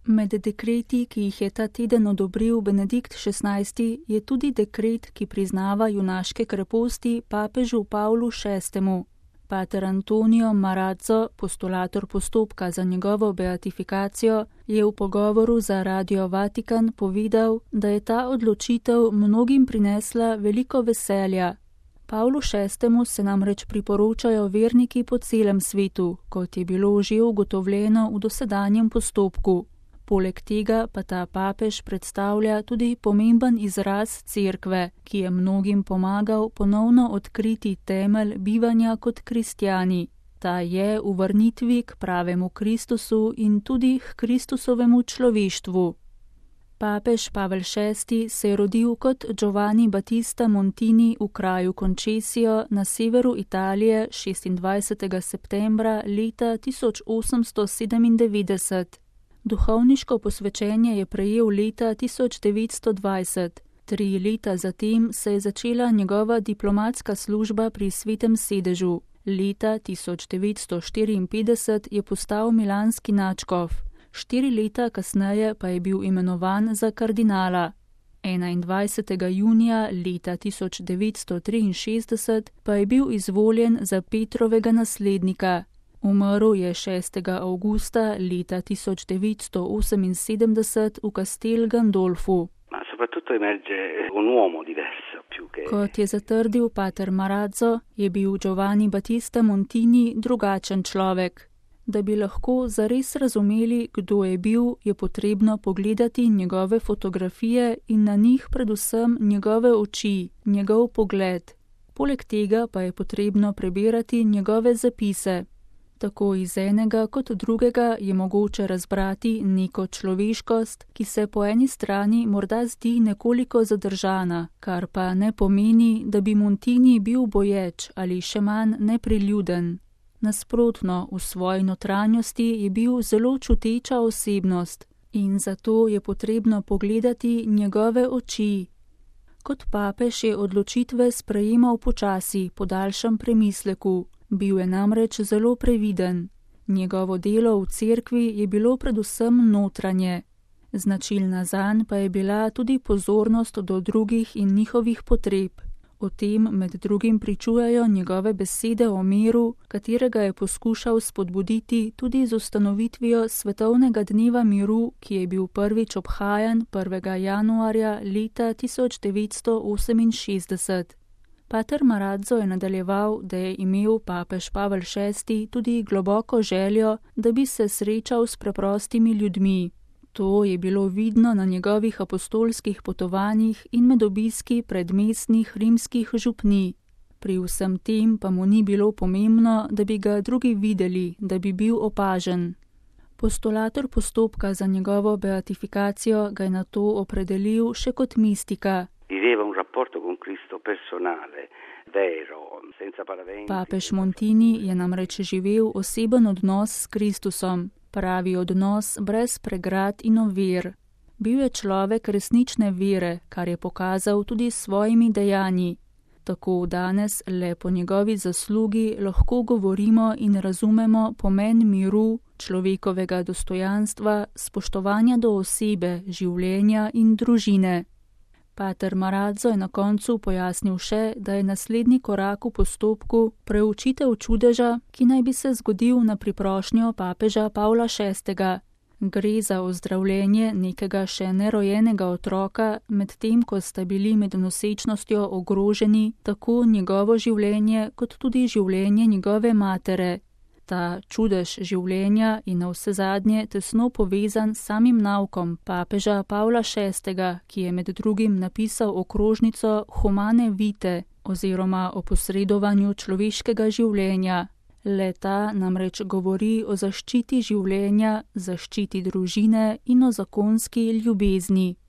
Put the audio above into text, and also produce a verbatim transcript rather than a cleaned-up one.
Med dekreti, ki jih je ta teden odobril Benedikt šestnajsti, je tudi dekret, ki priznava junaške kreposti papežu Pavlu šestemu. Pater Antonio Marazzo, postulator postopka za njegovo beatifikacijo, je v pogovoru za Radio Vatikan povedal, da je ta odločitev mnogim prinesla veliko veselja. Pavlu šestemu se namreč priporočajo verniki po celem svetu, kot je bilo že ugotovljeno v dosedanjem postopku. Poleg tega pa ta papež predstavlja tudi pomemben izraz cerkve, ki je mnogim pomagal ponovno odkriti temelj bivanja kot kristjani. Ta je v vrnitvi k pravemu Kristusu in tudi k Kristusovemu človeštvu. Papež Pavel šesti se je rodil kot Giovanni Battista Montini v kraju Concesio na severu Italije šestindvajsetega septembra leta tisoč osemsto sedemindevetdeset. Duhovniško posvečenje je prejel leta tisoč devetsto dvajset. Tri leta zatem se je začela njegova diplomatska služba pri Svetem sedežu. Leta tisoč devetsto štiriinpetdeset je postal milanski nadškof. Štiri leta kasneje pa je bil imenovan za kardinala. enaindvajsetega junija leta tisoč devetsto triinšestdeset pa je bil izvoljen za Petrovega naslednika. Umrl je šestega avgusta leta tisoč devetsto oseminsedemdeset v Castel Gandolfu. Kot je zatrdil pater Marazzo, je bil Giovanni Battista Montini drugačen človek. Da bi lahko zares razumeli, kdo je bil, je potrebno pogledati njegove fotografije in na njih predvsem njegove oči, njegov pogled. Poleg tega pa je potrebno prebirati njegove zapise. Tako iz enega kot drugega je mogoče razbrati neko človeškost, ki se po eni strani morda zdi nekoliko zadržana, kar pa ne pomeni, da bi Montini bil boječ ali še manj nepriljuden. Nasprotno, v svoji notranjosti je bil zelo čuteča osebnost in zato je potrebno pogledati njegove oči. Kot papež je odločitve sprejemal počasi, po daljšem premisleku. Bil je namreč zelo previden. Njegovo delo v cerkvi je bilo predvsem notranje. Značilna zanj pa je bila tudi pozornost do drugih in njihovih potreb. O tem med drugim pričujejo njegove besede o miru, katerega je poskušal spodbuditi tudi z ustanovitvijo Svetovnega dneva miru, ki je bil prvič obhajan prvega januarja leta tisoč devetsto oseminšestdeset. Pater Marazzo je nadaljeval, da je imel papež Pavel šesti tudi globoko željo, da bi se srečal s preprostimi ljudmi. To je bilo vidno na njegovih apostolskih potovanjih in med obiski predmestnih rimskih župnij. Pri vsem tem pa mu ni bilo pomembno, da bi ga drugi videli, da bi bil opažen. Postulator postopka za njegovo beatifikacijo ga je nato opredelil še kot mistika. Papež Montini je namreč živel oseben odnos s Kristusom, pravi odnos brez pregrad in ovir. Bil je človek resnične vere, kar je pokazal tudi s svojimi dejanji. Tako danes le po njegovi zaslugi lahko govorimo in razumemo pomen miru, človekovega dostojanstva, spoštovanja do osebe, življenja in družine. Pater Marazzo je na koncu pojasnil še, da je naslednji korak v postopku preučitev čudeža, ki naj bi se zgodil na priprošnjo papeža Pavla šestega. Gre za ozdravljenje nekega še nerojenega otroka, medtem ko sta bili med nosečnostjo ogroženi tako njegovo življenje kot tudi življenje njegove matere. Ta čudež življenja je navsezadnje tesno povezan s samim naukom papeža Pavla šestega, ki je med drugim napisal okrožnico Humane Vitae oziroma o posredovanju človeškega življenja. Le-ta namreč govori o zaščiti življenja, zaščiti družine in o zakonski ljubezni.